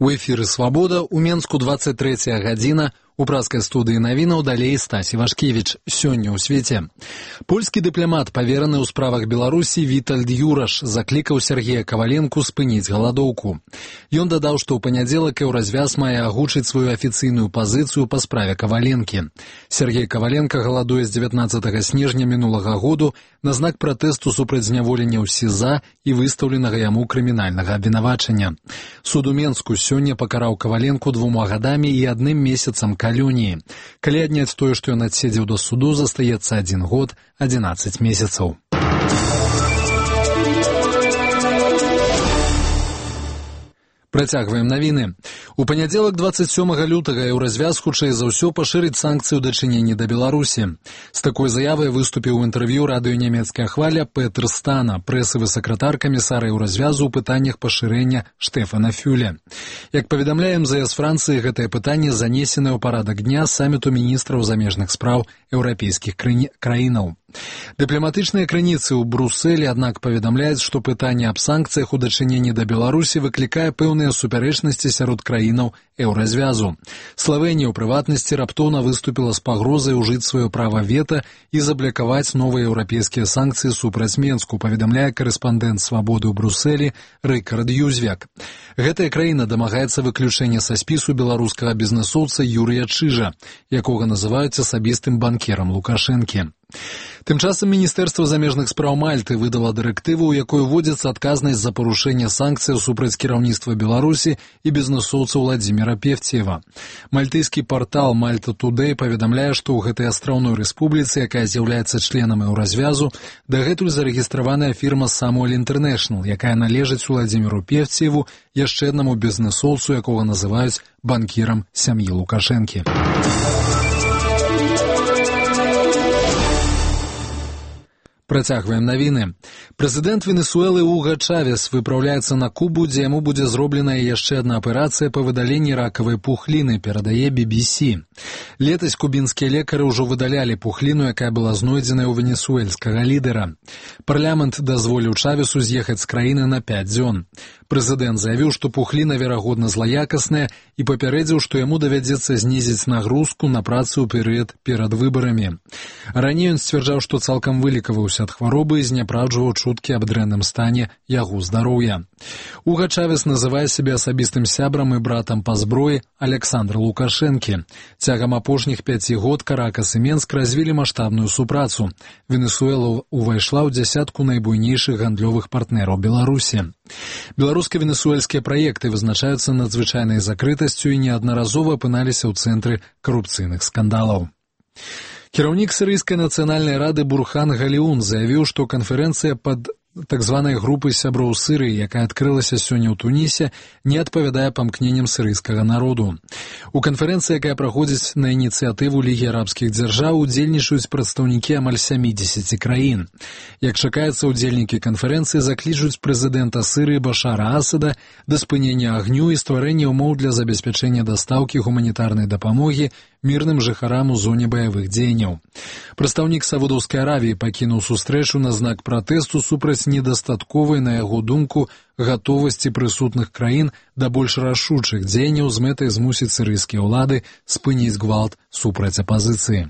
У эфіры «Свабода» у Менску 23 гадзіна. У праскай студыі навінаў далей Стась Івашкевіч. Сёння ў свеце. Польскі дыпламат, павераны ў справах Беларусі Вітальд Юраш, заклікаў Сергея Каваленку спыніць галадоўку. Ён дадаў, што ў панядзелак Еўразвяз мае агучыць сваю афіцыйную пазіцыю па справе Каваленкі. Сергей Каваленка галадуе з 19 снежня мінулага году на знак пратэсту супраць зняволення ў СІЗА і выстаўленага яму крымінальнага абвінавачання. Суд у Менску сёння пакараў Каваленку 2 гадамі і 1 месяцам калоніі. Калі адняць тое, што ён адседзеў да суду, застаецца 1 год, 11 месяцаў. Працягваем навіны. У панядзелак 27 лютага Еўразвяз хутчэй за ўсё пашырыць санкцыі ў дачыненні да Беларусі. З такой заявай выступіў у інтэрв'ю радыё нямецкая хваля Петр Стана, прэсавы сакратар камісара Еўразвязу ў пытаннях пашырэння Штефана Фюля. Як паведамляе МЗС Францыі, гэтае пытанне занесенае ў парадак дня саміту міністраў замежных спраў еўрапейскіх краінаў. Дыпламатычныя крыніцы ў Брусэлі, аднак, паведамляюць, што пытанне аб санкцыях у дачыненні да Беларусі выклікае пэўныя супярэчнасці сярод краінаў Еўразвязу. Славенія, у прыватнасці, раптоўна выступіла з пагрозай ужыць сваё права вета і заблакаваць новыя еўрапейскія санкцыі супраць Менску, паведамляе карэспандэнт «Свабоды» ў Брусэлі Рыкард Юзвяк. Гэтая краіна дамагаецца выключэння са спісу беларускага бізнэсоўца Юрыя Чыжа, якога называюць асабістым банкерам Лукашэнкі. Тым часам Міністэрства замежных спраў Мальты выдала дырэктыву, у якой уводзіцца адказнасць за парушэнне санкцыяў супраць кіраўніцтва Беларусі і бізнэсоўца Владзіміра Певцеева. Мальтыйскі партал Malta Today паведамляе, што ў гэтай астраўной рэспубліцы, якая з'яўляецца членам Еўразвязу, дагэтуль зарэгістраваная фірма Samuel International, якая належыць Владзіміру Певцееву, яшчэ аднаму бізнэсоўцу, якога называюць банкірам сям'і Лукашэнкі. Працягваем навіны. Прэзідэнт Венесуэлы Уга Чавес выпраўляецца на Кубу, дзе яму будзе зробленая яшчэ адна аперацыя па выдаленні ракавай пухліны, перадае BBC. Летась кубінскія лекары ўжо выдалялі пухліну, якая была знойдзеная ў венесуэльскага лідара. Парламент дазволіў Чавесу з'ехаць з краіны на 5 дзён. Прэзідэнт заявіў, што пухліна, верагодна, злаякасная і папярэдзіў, што яму давядзецца знізіць нагрузку на працу ў перыяд перад выбарамі. Раней ён сцвярджаў, што цалкам вылікаваўся ад хваробы і зняпраўджваў чуткі аб дрэнным стане яго здароўя. Уга Чавес называе сябе асабістым сябрам і братам па зброі Александра Лукашэнкі. Цягам апошніх 5 год Каракас і Менск развілі маштабную супрацу. Венесуэла увайшла ў дзясятку найбуйнейшых гандлёвых партнераў Беларусі. Беларуска-венесуэльскія праекты вызначаюцца надзвычайнай закрытасцю і неаднаразова апыналіся ў цэнтры карупцыйных скандалаў. Кіраўнік сірыйскай нацыянальнай рады Бурхан Галіун заявіў, што канферэнцыя пад так званай групы сяброў Сырыі, якая адкрылася сёння ў Тунісе, не адпавядае памкненням сірыйскага народу. У канферэнцыі, якая праходзіць на ініцыятыву Лігі арабскіх дзяржаў, удзельнічаюць прадстаўнікі амаль 70 краін. Як чакаецца, удзельнікі канферэнцыі заклічуць прэзідэнта Сырыі Башара Асада да спынення агню і стварэння ўмоў для забеспячэння дастаўкі гуманітарнай дапамогі мірным жыхарам у зоне баявых дзеянняў. Прадстаўнік Саудаўскай Аравіі пакінуў сустрэчу на знак пратэсту супраць недастатковай, на яго думку, гатовасці прысутных краін да больш рашучых дзеянняў з мэтай змусіць сірыйскія ўлады спыніць гвалт супраць апазіцыі.